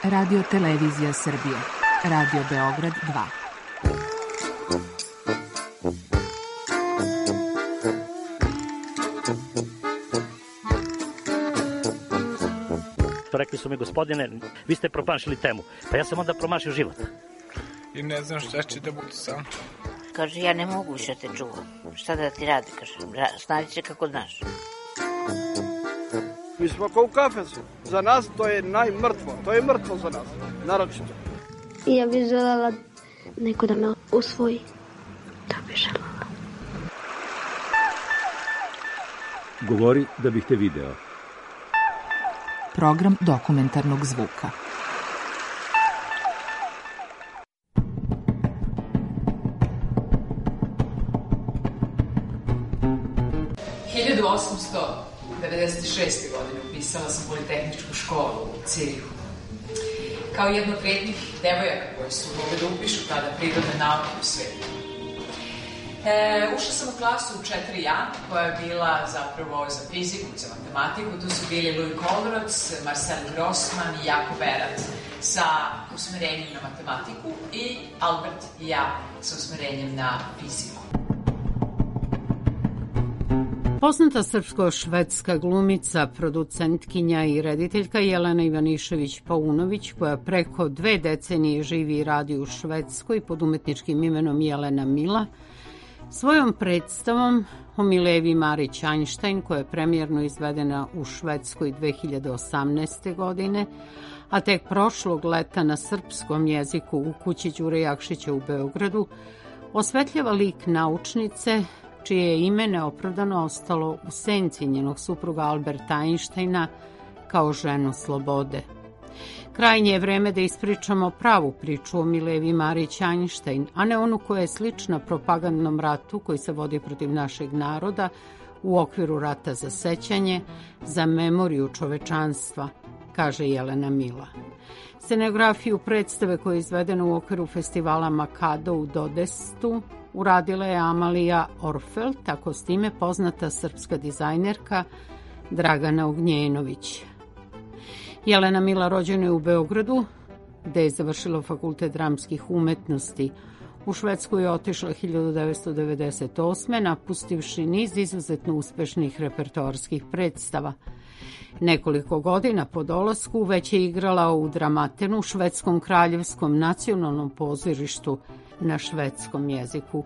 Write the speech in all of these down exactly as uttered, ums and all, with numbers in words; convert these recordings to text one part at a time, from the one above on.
Radio Televizija Srbije. Radio Beograd dva. Rekli su mi, gospodine, vi ste promašili temu. Pa ja sam onda promašio život. I ne znam šta će da bude sam. Kaže, ja ne mogu više te čuvam. Šta da ti radi, kaže, snađi se kako znaš. Mi smo kao u kafesu. Za nas to je najmrtvo. To je mrtvo za nas, naročito. Ja bih želela neko da me usvoji. To bih želela. Govori da bih te video. Program dokumentarnog zvuka. hiljadu osamsto devedeset šeste. godine upisala sam Politehničku školu u Cirihu. Kao jedna od retkih devojaka koje su mogle da upišu tada prirodne nauke u svetu. E, ušla sam u klasu u četiri A, koja je bila zapravo za fiziku, za matematiku. Tu su bili Louis Kollrods, Marcel Grossman i Jakob Erat sa usmerenjem na matematiku i Albert i ja sa usmerenjem na fiziku. Poznata srpsko-švedska glumica, producentkinja i rediteljka Jelena Ivanišević-Paunović, koja preko dve decenije živi i radi u Švedskoj pod umetničkim imenom Jelena Mila, svojom predstavom o Milevi Marić Einstein, koja je premijerno izvedena u Švedskoj dve hiljade osamnaeste. godine, a tek prošlog leta na srpskom jeziku u kući Đure Jakšića u Beogradu, osvetljava lik naučnice, čije je ime neopravdano ostalo u senci njenog supruga Alberta Einsteina kao ženu slobode. Krajnje je vreme da ispričamo pravu priču o Milevi Marić Einstein, a ne onu koja je slična propagandnom ratu koji se vodi protiv našeg naroda u okviru rata za sećanje, za memoriju čovečanstva, kaže Jelena Mila. Scenografiju predstave koja je izvedena u okviru festivala Makado u Dodestu uradila je Amalija Orfeld, tako s time poznata srpska dizajnerka Dragana Ognjenović. Jelena Mila rođena je u Beogradu, gde je završila Fakultet dramskih umetnosti. U Švedsku je otišla hiljadu devetsto devedeset osme. napustivši niz izuzetno uspešnih repertoarskih predstava. Nekoliko godina po dolasku već je igrala u Dramatenu, Švedskom kraljevskom nacionalnom pozorištu na švedskom jeziku.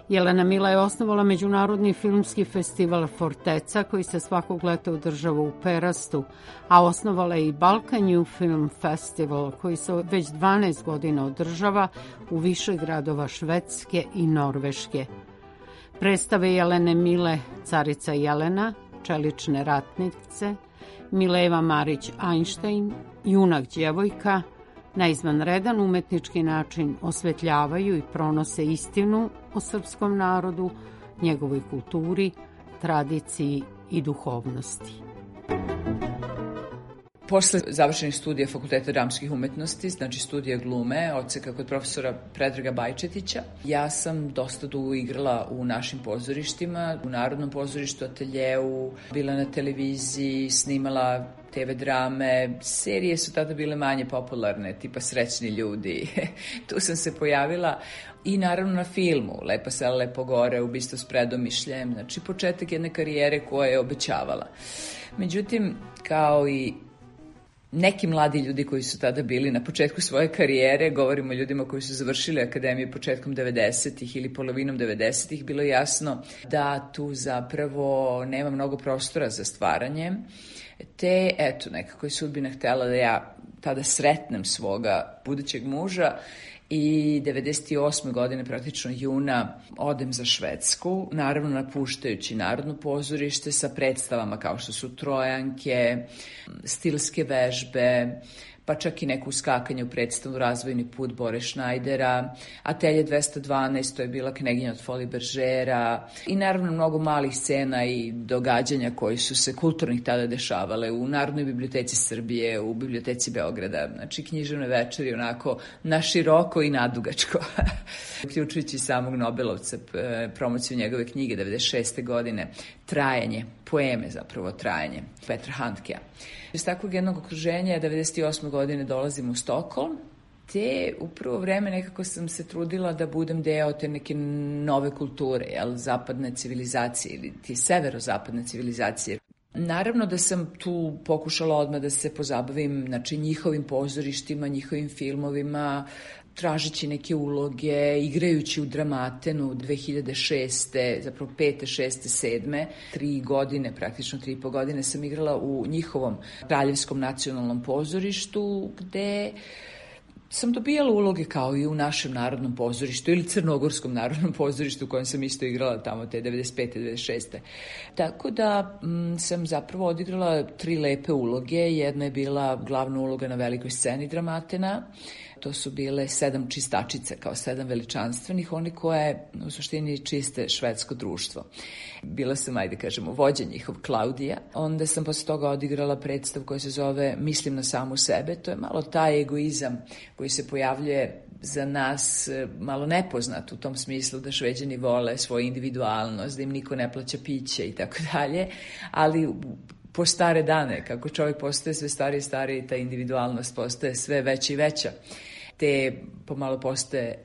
Jelena Mila je osnovala Međunarodni filmski festival Forteca, koji se svakog leta održava u Perastu, a osnovala je i Balkan New Film Festival, koji se već dvanaest godina održava u više gradova Švedske i Norveške. Predstave Jelene Mile, Carica Jelena, Čelične ratnice, Mileva Marić Einstein, Junak djevojka, na izvanredan umetnički način osvetljavaju i pronose istinu o srpskom narodu, njegovoj kulturi, tradiciji i duhovnosti. Posle završenih studija Fakulteta dramskih umetnosti, znači studija glume, odseka kod profesora Predraga Bajčetića, ja sam dosta dugo igrala u našim pozorištima, u Narodnom pozorištu, ateljeu, bila na televiziji, snimala te ve drame, serije su tada bile manje popularne, tipa Srećni ljudi, tu sam se pojavila i naravno na filmu, Lepa sela, lepo gore, Ubistvo s predomišljem, znači početak jedne karijere koja je obećavala. Međutim, kao i neki mladi ljudi koji su tada bili na početku svoje karijere, govorimo o ljudima koji su završili akademiju početkom devedesetih ili polovinom devedesetih, bilo je jasno da tu zapravo nema mnogo prostora za stvaranje. Te, eto, nekako je sudbina htjela da ja tada sretnem svoga budućeg muža i devedeset osme. godine, praktično juna, odem za Švedsku, naravno napuštajući Narodno pozorište sa predstavama kao što su Trojanke, stilske vežbe, pa čak i neku uskakanje u predstavu Razvojni put Bore Šnajdera, Atelje dvesta dvanaest, to je bila Kneginja od Foli Beržera i naravno mnogo malih scena i događanja koji su se kulturnih tada dešavale u Narodnoj biblioteci Srbije, u biblioteci Beograda, znači književne večeri onako na široko i nadugačko, uključujući samog Nobelovca, promociju njegove knjige devedeset šeste. godine. trajanje, poeme zapravo trajanje Petra Handkea. Iz takvog jednog okruženja devedeset osme godine dolazim u Stokholm, te u prvo vreme nekako sam se trudila da budem deo te neke nove kulture, jel, zapadne civilizacije ili ti severozapadne civilizacije. Naravno da sam tu pokušala odmah da se pozabavim, znači, njihovim pozorištima, njihovim filmovima, tražeći neke uloge, igrajući u Dramatenu dve hiljade šeste, zapravo pete, šeste, sedme, tri godine, praktično tri i po godine sam igrala u njihovom Kraljevskom nacionalnom pozorištu, gde sam dobijala uloge kao i u našem narodnom pozorištu ili Crnogorskom narodnom pozorištu u kojem sam isto igrala tamo te devedeset pete, devedeset šeste. Tako da m, sam zapravo odigrala tri lepe uloge. Jedna je bila glavna uloga na velikoj sceni Dramatena. To su bile sedam čistačice, kao sedam veličanstvenih, oni koje u suštini čiste švedsko društvo. Bila sam, ajde kažemo, vođa njihov, Klaudija. Onda sam posle toga odigrala predstav koja se zove Mislim na samu sebe. To je malo taj egoizam koji se pojavljuje za nas malo nepoznat u tom smislu da Šveđani vole svoju individualnost, da im niko ne plaća piće i tako dalje, ali po stare dane, kako čovjek postaje sve stariji i stariji, ta individualnost postaje sve veća i veća, te pomalo postaje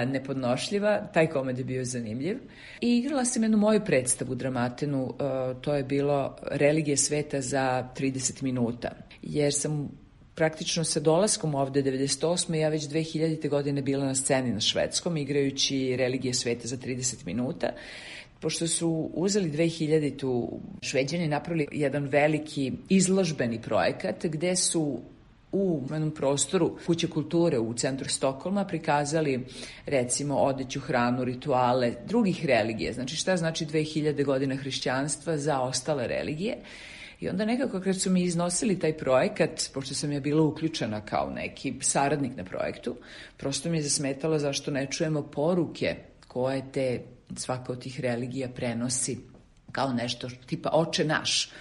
nepodnošljiva. Taj komad je bio zanimljiv. I igrala sam jednu moju predstavu u Dramatenu, to je bilo Religije sveta za trideset minuta, jer sam praktično sa dolaskom ovde devedeset osme ja već dve hiljadite godine bila na sceni na švedskom, igrajući Religije sveta za trideset minuta. Pošto su uzeli dve hiljaditu Šveđani, napravili jedan veliki izložbeni projekat gde su u jednom prostoru Kuće kulture u centru Stokholma prikazali, recimo, odeću, hranu, rituale drugih religija. Znači, šta znači dve hiljade godina hrišćanstva za ostale religije. I onda nekako kad su mi iznosili taj projekat, pošto sam ja bila uključena kao neki saradnik na projektu, prosto mi je zasmetalo zašto ne čujemo poruke koje te svaka od tih religija prenosi kao nešto tipa Oče naš.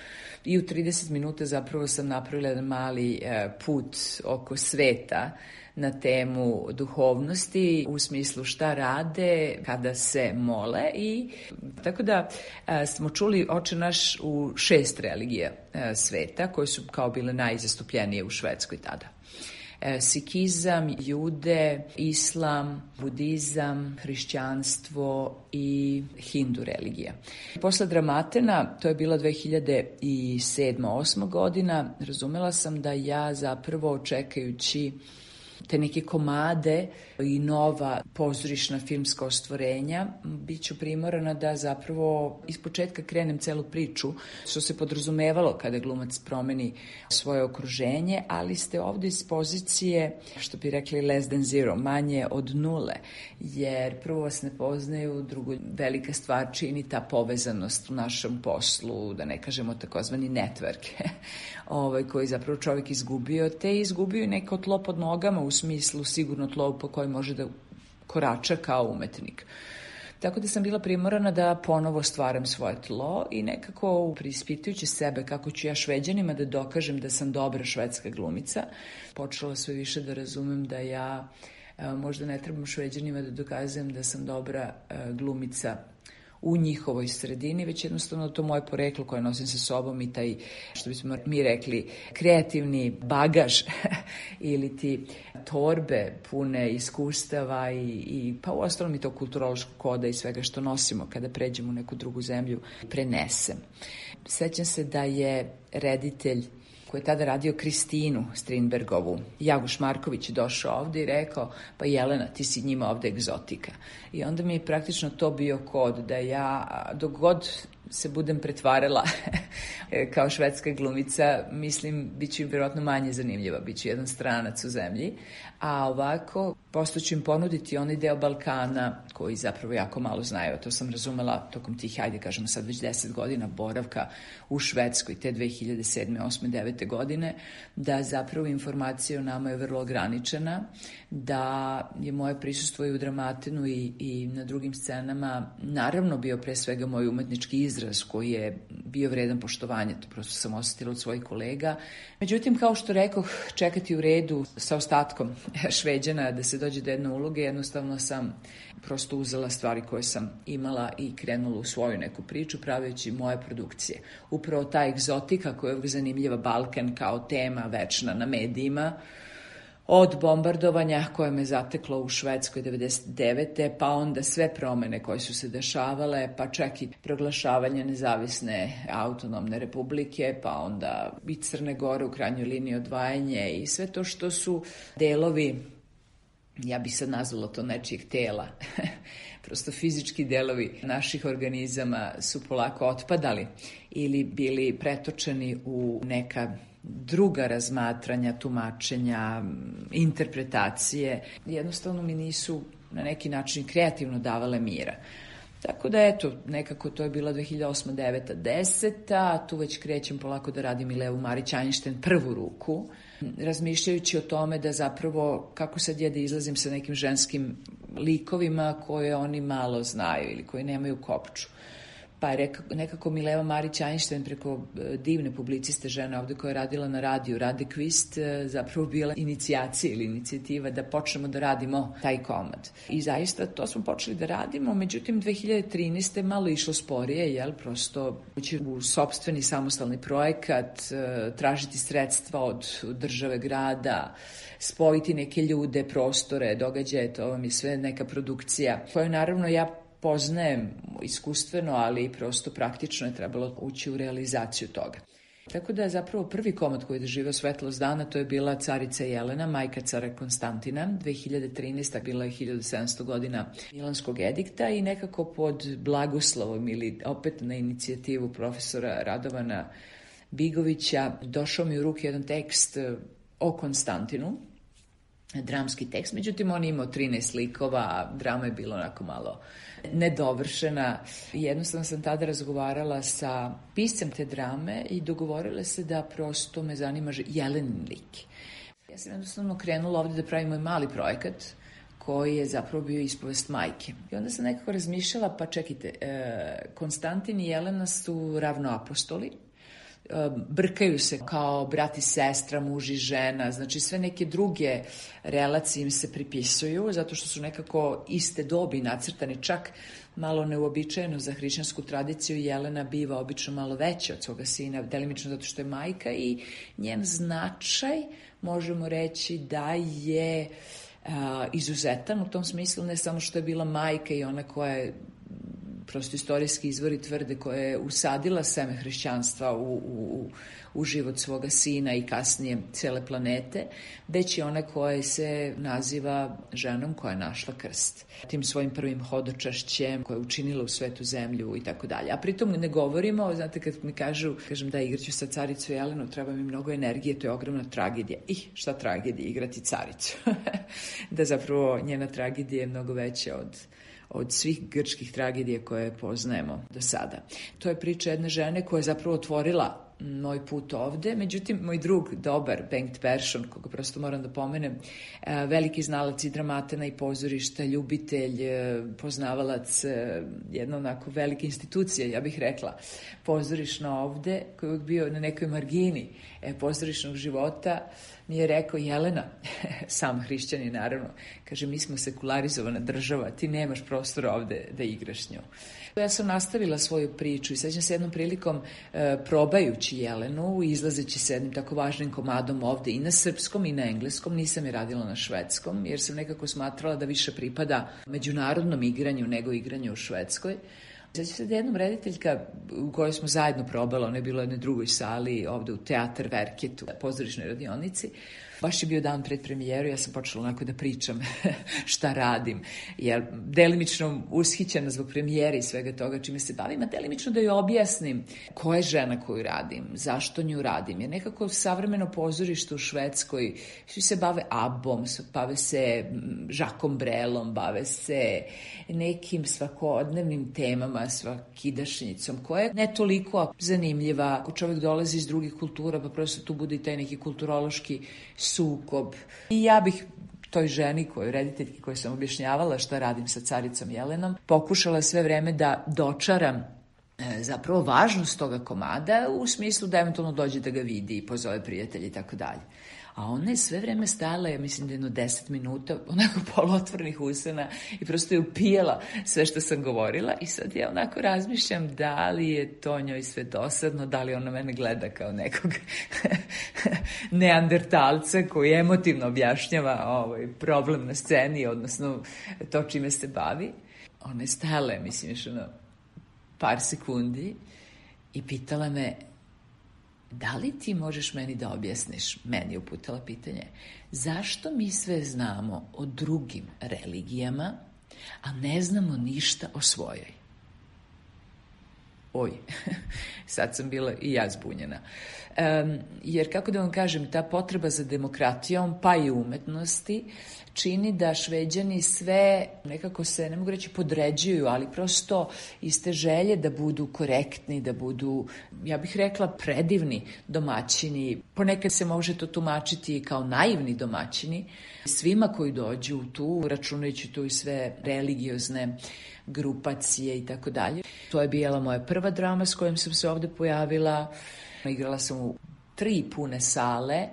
I u trideset minuta zapravo sam napravila jedan mali e, put oko sveta na temu duhovnosti, u smislu šta rade kada se mole. I tako da e, smo čuli Oče naš u šest religija e, sveta, koje su kao bile najzastupljenije u Švedskoj tada. Sikizam, jude, islam, budizam, hrišćanstvo i hindu religija. Posle Dramatena, to je bila dve hiljade sedma osma godina, razumela sam da ja zapravo čekajući te neke komade i nova pozorišna filmska ostvarenja, bit ću primorana da zapravo ispočetka krenem celu priču, što se podrazumevalo kada glumac promeni svoje okruženje, ali ste ovde iz pozicije, što bi rekli less than zero, manje od nule, jer prvo vas ne poznaju, drugo velika stvar čini ta povezanost u našem poslu, da ne kažemo takozvani network, ovaj, koji zapravo čovjek izgubio, te izgubio i neko tlo pod nogama, u smislu sigurno tlo po kojem može da korača kao umetnik. Tako da sam bila primorana da ponovo stvaram svoje tlo i nekako preispitujući sebe kako ću ja Šveđanima da dokažem da sam dobra švedska glumica, počela sve više da razumem da ja možda ne trebam Šveđanima da dokazujem da sam dobra glumica u njihovoj sredini, već jednostavno to moje poreklo koje nosim sa sobom i taj, što bismo mi rekli, kreativni bagaž ili ti torbe pune iskustava i, i pa uostalom i to kulturološkog koda i svega što nosimo kada pređemo u neku drugu zemlju prenesem. Sećam se da je reditelj koji je tada radio Kristinu Strindbergovu, Jaguš Marković, je došao ovde i rekao, pa Jelena, ti si njima ovde egzotika. I onda mi je praktično to bio kod da ja, dok god se budem pretvarala kao švedska glumica, mislim, bit ću im vjerojatno manje zanimljiva, bit ću jedan stranac u zemlji, a ovako posto ću im ponuditi onaj deo Balkana koji zapravo jako malo znaju. To sam razumela tokom tih, hajde kažemo sad već deset godina boravka u Švedskoj, te dve hiljade sedme, osme, devete godine, da zapravo informacija o nama je vrlo ograničena, da je moje prisustvo i u Dramatenu i, i na drugim scenama naravno bio pre svega moj umetnički izraz koji je bio vredan poštovanja, to prosto sam osetila od svojih kolega. Međutim, kao što rekoh, čekati u redu sa ostatkom Šveđana da se dođe do jedne uloge, jednostavno sam prosto prosto uzela stvari koje sam imala i krenula u svoju neku priču praveći moje produkcije. Upravo ta egzotika koja je uvijek zanimljiva, Balkan kao tema večna na medijima, od bombardovanja koje me zateklo u Švedskoj devedeset devete pa onda sve promene koje su se dešavale, pa čak i proglašavanje nezavisne autonomne republike, pa onda i Crne Gore u krajnjoj liniji odvajanje i sve to što su delovi, ja bih sad nazvala to nečijeg tela, prosto fizički delovi naših organizama su polako otpadali ili bili pretočeni u neka druga razmatranja, tumačenja, interpretacije. Jednostavno mi nisu na neki način kreativno davale mira. Tako da eto, nekako to je bila dve hiljade osma, deveta, deseta, tu već krećem polako da radim i Levu Marić Einstein prvu ruku, razmišljajući o tome da zapravo kako sad je da izlazim sa nekim ženskim likovima koje oni malo znaju ili koji nemaju kopču. Pa je nekako Mileva Marić Einstein preko divne publiciste žene ovde koja je radila na radiju Rade Kvist zapravo bila inicijacija ili inicijativa da počnemo da radimo taj komad. I zaista to smo počeli da radimo, međutim dve hiljade trinaeste malo išlo sporije, jel, prosto ući u sopstveni samostalni projekat, tražiti sredstva od države, grada, spojiti neke ljude, prostore, događaje, to vam je sve neka produkcija koju naravno ja poznajem iskustveno, ali i prosto praktično je trebalo ući u realizaciju toga. Tako da je zapravo prvi komad koji je doživio svetlost dana, to je bila Carica Jelena, majka cara Konstantina. dve hiljade trinaeste. bila je hiljadu sedamsto godina Milanskog edikta i nekako pod blagoslovom ili opet na inicijativu profesora Radovana Bigovića došao mi u ruke jedan tekst o Konstantinu, dramski tekst, međutim on je imao trinaest likova, a drama je bila onako malo nedovršena. Jednostavno sam tada razgovarala sa piscem te drame i dogovorila se da prosto me zanima Jelenin lik. Ja sam jednostavno krenula ovde da pravim moj mali projekat koji je zapravo bio ispovest majke. I onda sam nekako razmišljala, pa čekajte, Konstantin i Jelena su ravnoapostoli, brkaju se kao brat i sestra, muž i žena, znači sve neke druge relacije im se pripisuju zato što su nekako iste dobi nacrtani, čak malo neuobičajeno za hrišćansku tradiciju. Jelena biva obično malo veća od svoga sina, delimično zato što je majka i njen značaj možemo reći da je a, izuzetan u tom smislu, ne samo što je bila majka i ona koja je prosto istorijski izvori tvrde koja je usadila seme hrišćanstva u, u, u život svoga sina i kasnije cele planete, već i ona koja se naziva ženom koja je našla krst. Tim svojim prvim hodočašćem koja je učinila u svetu zemlju i tako dalje. A pritom ne govorimo, znate kad mi kažu, kažem da igraću sa caricu Jelenu, treba mi mnogo energije, to je ogromna tragedija. Ih, šta tragedija, igrati caricu. Da zapravo njena tragedija je mnogo veća od od svih grčkih tragedija koje poznajemo do sada. To je priča jedne žene koja je zapravo otvorila moj put ovde, međutim, moj drug, dobar, Bengt Persson, koga prosto moram da pomenem, veliki znalac i dramatena i pozorišta, ljubitelj, poznavalac, jedna onako velika institucija, ja bih rekla, pozorišno ovde, koji je uvijek bio na nekoj margini pozorišnog života, mi je rekao, Jelena, sam hrišćani naravno, kaže, mi smo sekularizovana država, ti nemaš prostora ovde da igraš nju. Ja sam nastavila svoju priču i sećam se jednom prilikom e, probajući Jelenu, izlazeći sa jednim tako važnim komadom ovde i na srpskom i na engleskom, nisam je radila na švedskom, jer sam nekako smatrala da više pripada međunarodnom igranju nego igranju u Švedskoj. Sećam se da jednom rediteljka u kojoj smo zajedno probala, ona je bila u jednoj drugoj sali ovde u Teatar Verket, u pozorišnoj radionici. Baš je bio dan pred premijeru, ja sam počela onako da pričam šta radim, jer delimično ushićena zbog premijere i svega toga čime se bavim, a delimično da joj objasnim ko je žena koju radim, zašto nju radim. Jer nekako savremeno pozorište u Švedskoj, svi se bave abom, bave se Žakom Brelom, bave se nekim svakodnevnim temama, svakidašnjicom, koja je ne toliko zanimljiva. Ako čovjek dolazi iz drugih kultura, pa prosto tu bude i taj neki kulturološki sukob. I ja bih toj ženi, kojoj rediteljki koju sam objašnjavala šta radim sa caricom Jelenom, pokušala sve vreme da dočaram zapravo važnost toga komada u smislu da eventualno dođe da ga vidi i pozove prijatelji i tako dalje. A ona je sve vreme stajala, ja mislim da jedno deset minuta, onako poluotvornih usana i prosto je upijala sve što sam govorila i sad ja onako razmišljam da li je to njoj sve dosadno, da li ona mene gleda kao nekog neandertalca koji emotivno objašnjava ovaj problem na sceni, odnosno to čime se bavi. Ona je stajala, mislim, još ono par sekundi i pitala me: da li ti možeš meni da objasniš, meni je uputila pitanje, zašto mi sve znamo o drugim religijama, a ne znamo ništa o svojoj? Oj, sad sam bila i ja zbunjena. Um, jer, kako da vam kažem, ta potreba za demokratijom, pa i umetnosti, čini da Šveđani sve nekako se, ne mogu reći podređuju, ali prosto iz te želje da budu korektni, da budu, ja bih rekla, predivni domaćini. Ponekad se može to tumačiti kao naivni domaćini. Svima koji dođu tu, računajući tu i sve religiozne grupacije i tako dalje. To je bila moja prva drama s kojom sam se ovde pojavila. Igrala sam u tri pune sale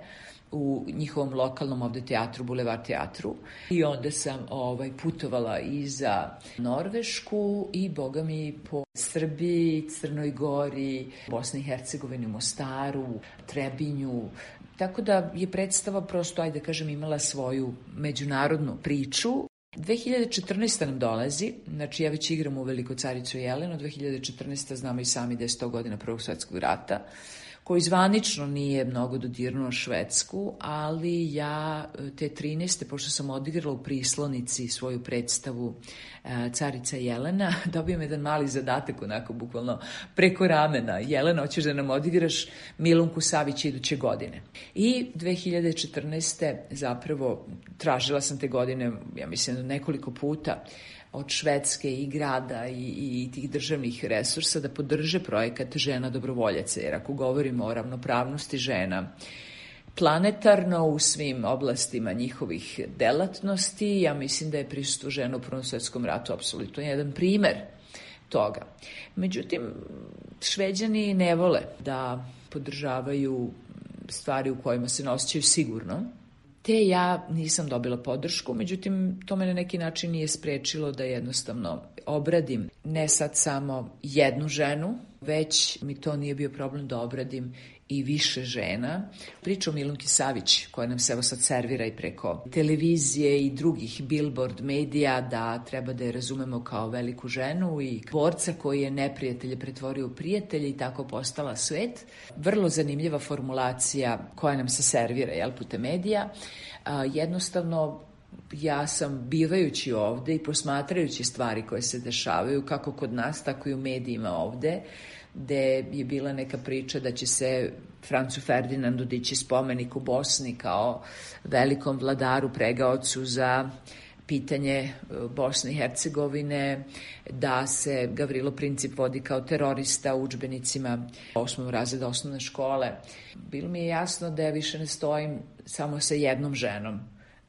u njihovom lokalnom ovde teatru, Bulevar teatru. I onda sam ovaj, putovala i za Norvešku i, boga mi, po Srbiji, Crnoj Gori, Bosni i Hercegovini, Mostaru, Trebinju. Tako da je predstava prosto, ajde da kažem, imala svoju međunarodnu priču. dve hiljade četrnaeste. nam dolazi, znači ja već igram u Veliku caricu Jelenu, dve hiljade četrnaeste. znamo i sami da je sto godina Prvog svjetskog rata, koji zvanično nije mnogo dodirnuo Švedsku, ali ja te trinaeste. pošto sam odigrala u Prislonici svoju predstavu Carica Jelena, dobijem jedan mali zadatak, onako bukvalno preko ramena. Jelena, hoćeš da nam odigraš Milunku Savić iduće godine. I dve hiljade četrnaeste. zapravo tražila sam te godine, ja mislim, nekoliko puta od Švedske i grada i, i tih državnih resursa da podrže projekat Žena dobrovoljaca, jer ako govorimo o ravnopravnosti žena planetarno u svim oblastima njihovih delatnosti, ja mislim da je prisustvo žena u Prvom svjetskom ratu apsolutno jedan primer toga. Međutim, Šveđani ne vole da podržavaju stvari u kojima se ne osjećaju sigurno, te ja nisam dobila podršku, međutim, to me na neki način nije sprečilo da jednostavno obradim ne sad samo jednu ženu, već mi to nije bio problem da obradim i više žena. Priča o Milunki Savić, koja nam se evo sad servira i preko televizije i drugih billboard medija, da treba da je razumemo kao veliku ženu i borca koji je neprijatelje pretvorio u prijatelje i tako postala svet. Vrlo zanimljiva formulacija koja nam se servira, jel, putem medija. A, jednostavno, ja sam bivajući ovde i posmatrajući stvari koje se dešavaju, kako kod nas, tako i u medijima ovde, gde je bila neka priča da će se Francu Ferdinandu dići spomenik u Bosni kao velikom vladaru, pregaocu za pitanje Bosne i Hercegovine, da se Gavrilo Princip vodi kao terorista u udžbenicima osmog razreda osnovne škole. Bilo mi je jasno da ja više ne stojim samo sa jednom ženom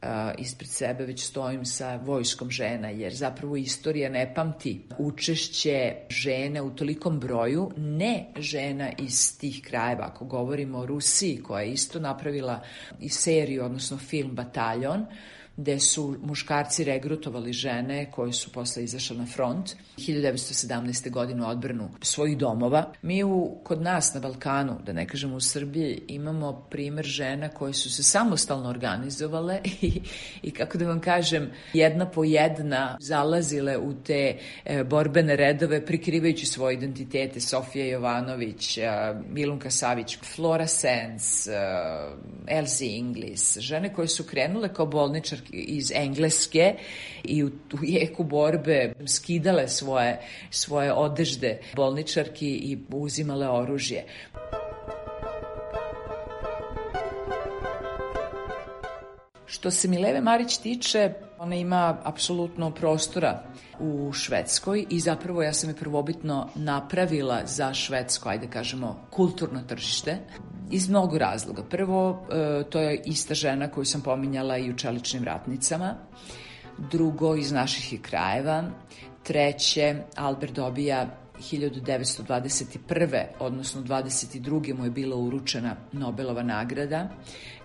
Uh, ispred sebe, već stojim sa vojskom žena, jer zapravo istorija ne pamti učešće žene u tolikom broju, ne žena iz tih krajeva. Ako govorimo o Rusiji, koja je isto napravila i seriju, odnosno film Bataljon, gde su muškarci regrutovali žene koje su posle izašle na front hiljadu devetsto sedamnaeste. godine u odbranu svojih domova. Mi u, kod nas na Balkanu, da ne kažemo u Srbiji, imamo primer žena koje su se samostalno organizovale i, i kako da vam kažem, jedna po jedna zalazile u te e, borbene redove prikrivajući svoje identitete. Sofija Jovanović, e, Milunka Savić, Flora Sens, e, Elsie Inglis, žene koje su krenule kao bolničarke iz Engleske i u, u jeku borbe skidale svoje, svoje odežde bolničarki i uzimale oružje. Što se Mileve Marić tiče, ona ima apsolutno prostora u Švedskoj i zapravo ja sam je prvobitno napravila za švedsko, ajde kažemo, kulturno tržište iz mnogo razloga. Prvo, to je ista žena koju sam pominjala i u Čeličnim ratnicama. Drugo, iz naših krajeva. Treće, Albert dobija hiljadu devetsto dvadeset prve. odnosno dvadeset druge mu je bila uručena Nobelova nagrada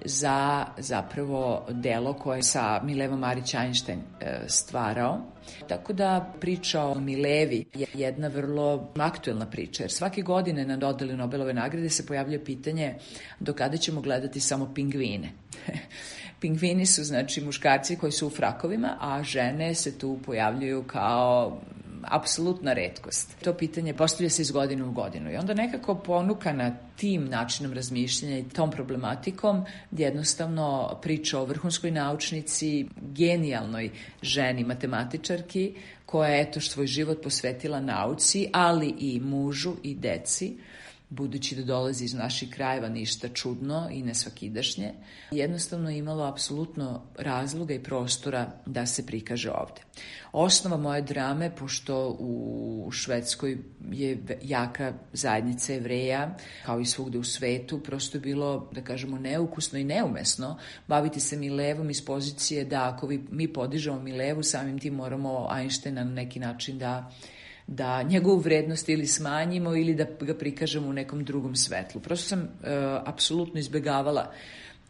za zapravo delo koje je sa Milevom Marić Einstein stvarao. Tako da priča o Milevi je jedna vrlo aktuelna priča, jer svake godine na dodeli Nobelove nagrade se pojavlja pitanje do kada ćemo gledati samo pingvine. Pingvini su znači muškarci koji su u frakovima, a žene se tu pojavljuju kao apsolutna retkost. To pitanje postavlja se iz godine u godinu i onda nekako ponukana tim načinom razmišljanja i tom problematikom jednostavno priča o vrhunskoj naučnici, genijalnoj ženi matematičarki koja je eto svoj život posvetila nauci, ali i mužu i deci, budući da dolazi iz naših krajeva, ništa čudno i nesvakidašnje, jednostavno imalo apsolutno razloga i prostora da se prikaže ovde. Osnova moje drame, pošto u Švedskoj je jaka zajednica Jevreja, kao i svugde u svetu, prosto je bilo, da kažemo, neukusno i neumesno baviti se Milevom iz pozicije da ako mi podižemo Milevu, samim tim moramo Einsteina na neki način da da njegovu vrednost ili smanjimo ili da ga prikažemo u nekom drugom svetlu. Prosto sam e, apsolutno izbegavala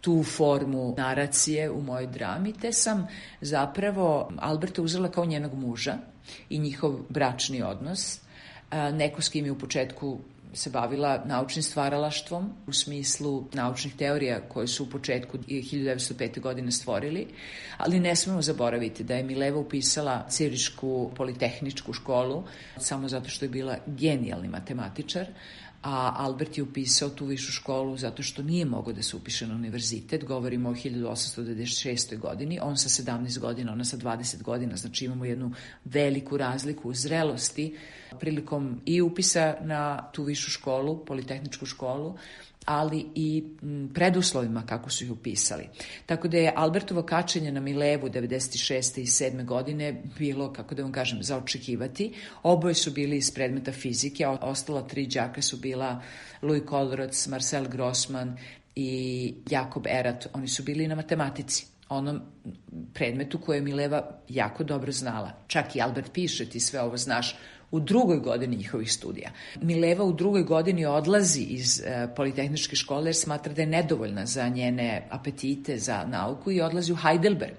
tu formu naracije u mojoj drami, te sam zapravo Alberta uzela kao njenog muža i njihov bračni odnos, e, neko s kim je u početku se bavila naučnim stvaralaštvom u smislu naučnih teorija koje su u početku hiljadu devetsto pete. godine stvorili, ali ne smemo zaboraviti da je Mileva upisala Cirišku politehničku školu samo zato što je bila genijalni matematičar, a Albert je upisao tu višu školu zato što nije mogao da se upiše na univerzitet. Govorimo o hiljadu osamsto devedeset šestoj. godini, on sa sedamnaest godina, ona sa dvadeset godina, znači imamo jednu veliku razliku u zrelosti prilikom i upisa na tu višu školu, politehničku školu, ali i preduslovima kako su ih upisali. Tako da je Albertovo kačenje na Milevu devedeset šeste i sedme. godine bilo, kako da vam kažem, za očekivati. Oboje su bili iz predmeta fizike, a ostala tri đaka su bila Louis Kollroth, Marcel Grossman i Jakob Erat. Oni su bili na matematici, onom predmetu koje je Mileva jako dobro znala. Čak i Albert piše, ti sve ovo znaš, u drugoj godini njihovih studija. Mileva u drugoj godini odlazi iz e, politehničke škole jer smatra da je nedovoljna za njene apetite za nauku i odlazi u Heidelberg.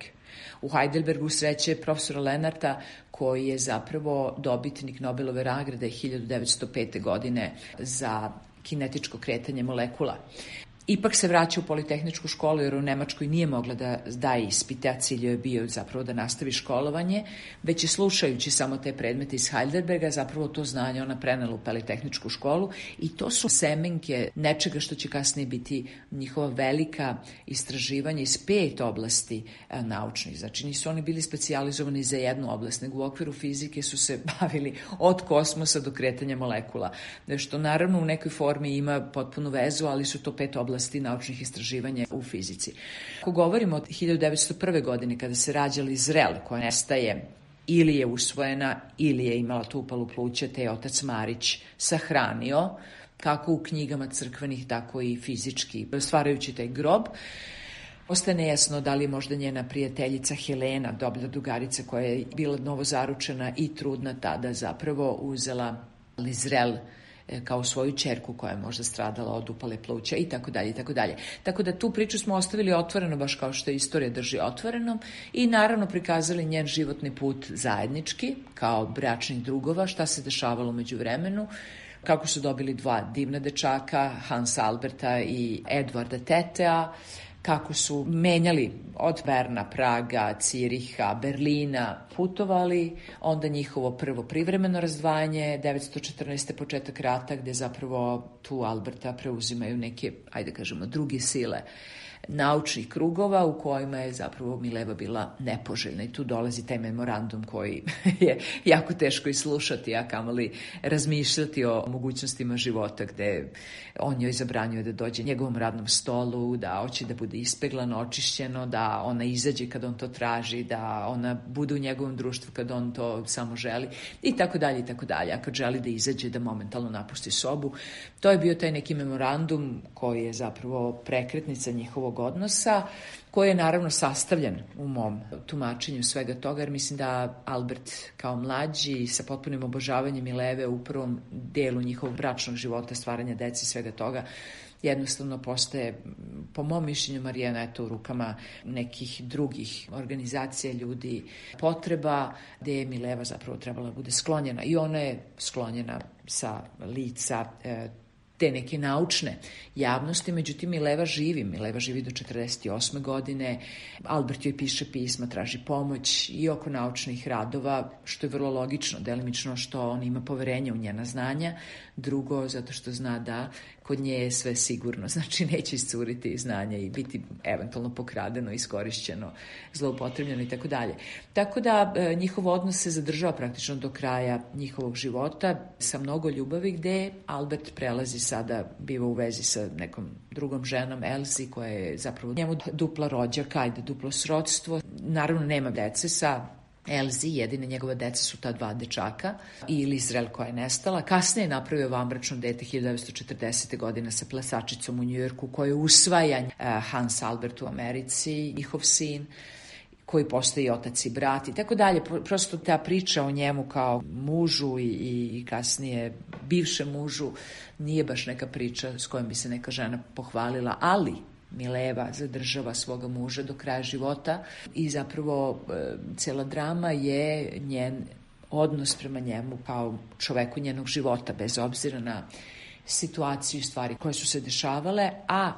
U Heidelbergu sreće profesora Lenarta, koji je zapravo dobitnik Nobelove nagrade hiljadu devetsto pete. godine za kinetičko kretanje molekula. Ipak se vraća u politehničku školu jer u Nemačkoj nije mogla da daje ispite, a cilj je bio zapravo da nastavi školovanje, već je slušajući samo te predmete iz Heidelberga zapravo to znanje ona prenela u politehničku školu i to su semenke nečega što će kasnije biti njihova velika istraživanja iz pet oblasti e, naučnih. Znači nisu oni bili specijalizovani za jednu oblast, nego u okviru fizike su se bavili od kosmosa do kretanja molekula, što naravno u nekoj formi ima potpunu vezu, ali su to pet oblasti naučnih istraživanja u fizici. Ako govorimo od hiljadu devetsto prve. godine kada se rađa Lizrel, koja nestaje ili je usvojena ili je imala tu upalu pluća, te je otac Marić sahranio, kako u knjigama crkvenih, tako i fizički, stvarajući taj grob. Ostaje nejasno da li je možda njena prijateljica Helena, dobra drugarica koja je bila novozaručena i trudna tada, zapravo uzela Lizrel kao svoju ćerku koja je možda stradala od upale pluća i tako dalje i tako dalje. Tako da tu priču smo ostavili otvoreno, baš kao što istorija drži otvorenom, i naravno prikazali njen životni put zajednički kao bračnih drugova, šta se dešavalo među vremenu, kako su dobili dva divna dečaka, Hans Alberta i Edvarda Tetea, kako su menjali od Berna, Praga, Ciriha, Berlina, putovali, onda njihovo prvo privremeno razdvajanje, devetsto četrnaeste. početak rata, gde zapravo tu Alberta preuzimaju neke, ajde kažemo, druge sile naučnih krugova u kojima je zapravo Mileva bila nepoželjna i tu dolazi taj memorandum koji je jako teško i slušati, a kamoli razmišljati o mogućnostima života, gde on joj zabranjuje da dođe njegovom radnom stolu, da hoće da bude bude ispeglano, očišćeno, da ona izađe kad on to traži, da ona bude u njegovom društvu kad on to samo želi i tako dalje i tako dalje. A kad želi da izađe, da momentalno napusti sobu. To je bio taj neki memorandum koji je zapravo prekretnica njihovog odnosa, koji je naravno sastavljen u mom tumačenju svega toga, jer mislim da Albert kao mlađi sa potpunim obožavanjem Mileve u prvom delu njihovog bračnog života, stvaranja dece i svega toga, jednostavno postaje, po mom mišljenju, Marijana eto u rukama nekih drugih organizacija, ljudi, potreba, gde je Mileva zapravo trebala da bude sklonjena. I ona je sklonjena sa lica e, te neke naučne javnosti, međutim Mileva živi, Mileva živi do četrdeset osme godine, Albert joj piše pisma, traži pomoć i oko naučnih radova, što je vrlo logično, delimično što on ima poverenja u njena znanja, drugo zato što zna da kod nje je sve sigurno, znači neće iscuriti znanja i biti eventualno pokradeno, iskorišćeno, zloupotrebljeno i tako dalje. Tako da e, njihov odnos se zadržava praktično do kraja njihovog života sa mnogo ljubavi, gde Albert prelazi sada, biva u vezi sa nekom drugom ženom, Elzi, koja je zapravo njemu dupla rođaka, ajde duplo srodstvo. Naravno nema dece sa Elzi, jedine njegove dece su ta dva dečaka i Lizrel koja je nestala. Kasnije je napravio vanbračno dete hiljadu devetsto četrdesete godine sa plesačicom u Njujorku, koja je usvajan Hans Albert u Americi, njihov sin, koji postoji otac i brat i tako dalje. Prosto ta priča o njemu kao mužu i, i kasnije bivšem mužu nije baš neka priča s kojom bi se neka žena pohvalila, ali Mileva zadržava svoga muža do kraja života i zapravo e, cela drama je njen odnos prema njemu kao čoveku njenog života, bez obzira na situaciju i stvari koje su se dešavale, a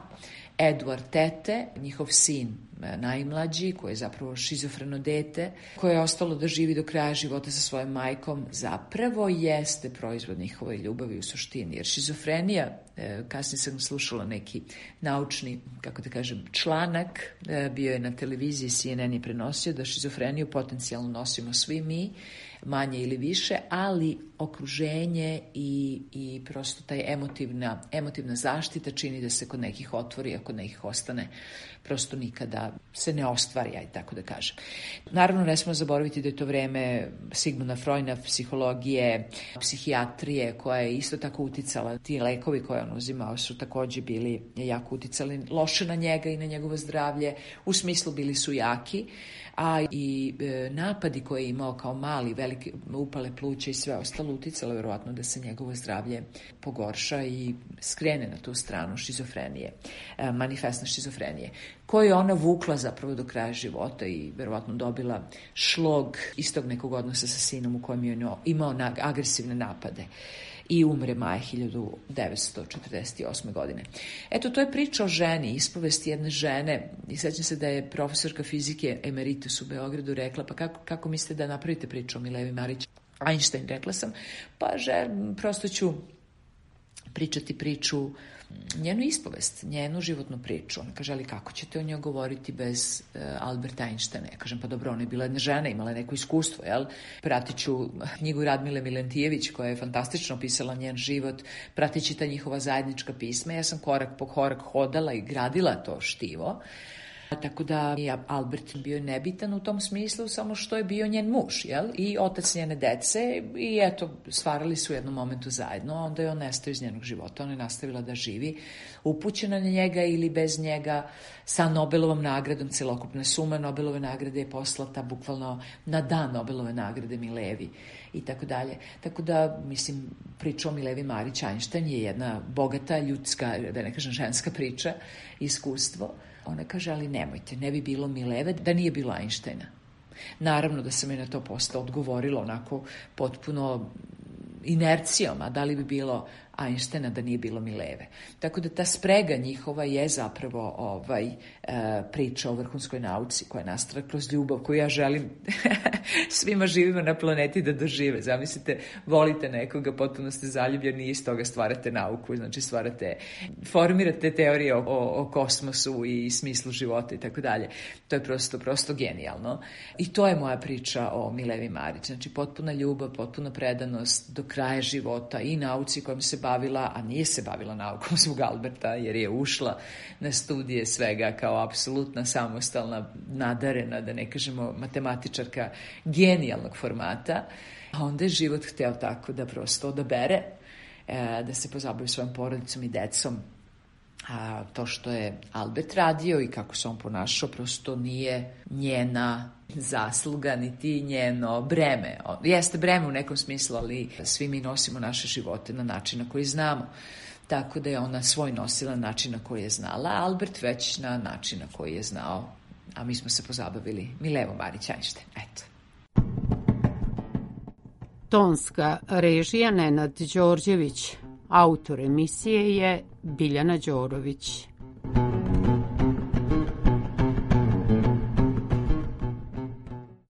Edward Tete, njihov sin najmlađi, koji je zapravo šizofreno dete, koje je ostalo da živi do kraja života sa svojom majkom, zapravo jeste proizvod njihove ljubavi u suštini. Jer šizofrenija, kasnije sam slušala neki naučni, kako da kažem, članak, bio je na televiziji, C N N je prenosio da šizofreniju potencijalno nosimo svi mi, manje ili više, ali okruženje i, i prosto taj emotivna, emotivna zaštita čini da se kod nekih otvori, a kod nekih ostane prosto nikada se ne ostvari, aj tako da kažem. Naravno, ne smemo zaboraviti da je to vreme Sigmunda Freuda, psihologije, psihijatrije, koja je isto tako uticala. Ti lekovi koje on uzimao su takođe bili jako uticali loše na njega i na njegovo zdravlje. U smislu bili su jaki, a i e, napadi koje je imao kao mali, velike upale pluća i sve ostalo uticalo verovatno da se njegovo zdravlje pogorša i skrene na tu stranu šizofrenije, e, manifestne šizofrenije, koju je ona vukla zapravo do kraja života i verovatno dobila šlog istog nekog odnosa sa sinom u kojem je imao agresivne napade. I umre maja hiljadu devetsto četrdeset osme godine. Eto, to je priča o ženi, ispovest jedne žene. I sećam se da je profesorka fizike emeritus u Beogradu rekla, pa kako, kako mislite da napravite priču o Milevi Marić? Einstein, rekla sam, pa že, prosto ću pričati priču, njenu ispovest, njenu životnu priču. Ona kaže, ali kako ćete o njoj govoriti bez uh, Alberta Einsteina? Ja kažem, pa dobro, ona je bila jedna žena, imala neko iskustvo, jel? Pratit ću knjigu Radmile Milentijević, koja je fantastično opisala njen život, pratići ta njihova zajednička pisma. Ja sam korak po korak hodala i gradila to štivo. Tako da je Albert bio nebitan u tom smislu, samo što je bio njen muž, jel? I otac njene dece i eto, stvarali su u jednom momentu zajedno, a onda je on nestao iz njenog života, ona je nastavila da živi, upućena na njega ili bez njega, sa Nobelovom nagradom, celokupna suma Nobelove nagrade je poslata bukvalno na dan Nobelove nagrade Milevi i tako dalje. Tako da, mislim, priča o Milevi Marić Einstein je jedna bogata ljudska, da ne kažem ženska priča, iskustvo. Ona kaže, ali nemojte, ne bi bilo Mileve da nije bilo Einsteina. Naravno da sam je na to posle odgovorila onako potpuno inercijom, a da li bi bilo Einsteina da nije bilo Mileve. Tako da ta sprega njihova je zapravo ovaj, e, priča o vrhunskoj nauci koja je nastala kroz ljubav koju ja želim svima živima na planeti da dožive. Zamislite, volite nekoga, potpuno ste zaljubljeni i iz toga stvarate nauku, znači stvarate, formirate teorije o, o, o kosmosu i smislu života i tako dalje. To je prosto, prosto genijalno. I to je moja priča o Milevi Marić. Znači potpuna ljubav, potpuna predanost do kraja života i nauci kojom se bavi bavila, a nije se bavila naukom zbog Alberta, jer je ušla na studije svega kao apsolutna samostalna, nadarena, da ne kažemo matematičarka genijalnog formata. A onda je život hteo tako da prosto odabere, da se pozabavi svojom porodicom i decom. A to što je Albert radio i kako se on ponašao prosto nije njena zasluga, niti njeno breme. Jeste breme u nekom smislu, ali svi mi nosimo naše živote na način na koji znamo. Tako da je ona svoj nosila na način na koji je znala, a Albert već na način na koji je znao. A mi smo se pozabavili Milevo Marić Einstein. Eto. Tonska režija Nenad Đorđević, autor emisije je Biljana Đorović.